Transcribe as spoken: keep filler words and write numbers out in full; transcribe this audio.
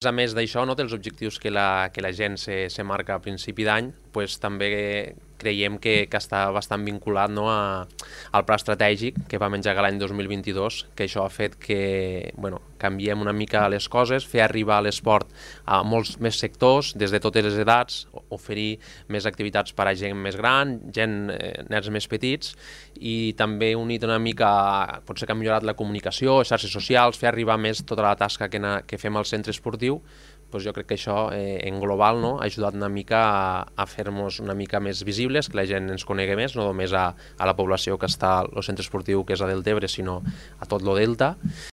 A més d'això, no, dels objectius que la, que la gent se, se marca a principi d'any, pues, també creiem que, que està bastant vinculat, no, a, al pla estratègic que vam engegar l'any dos mil vint-i-dos, que això ha fet que bueno, canviem una mica les coses, fer arribar l'esport a molts més sectors, des de totes les edats, oferir més activitats per a gent més gran, gent, eh, nens més petits, i també unit una mica, potser que ha millorat la comunicació, xarxes socials, fer arribar més tota la tasca que, na, que fem al centre esportiu. Doncs jo crec que això eh, en global, no, ha ajudat una mica a, a fer-nos una mica més visibles, que la gent ens conegui més, no només a, a la població que està al centre esportiu que és a Deltebre, sinó a tot lo Delta.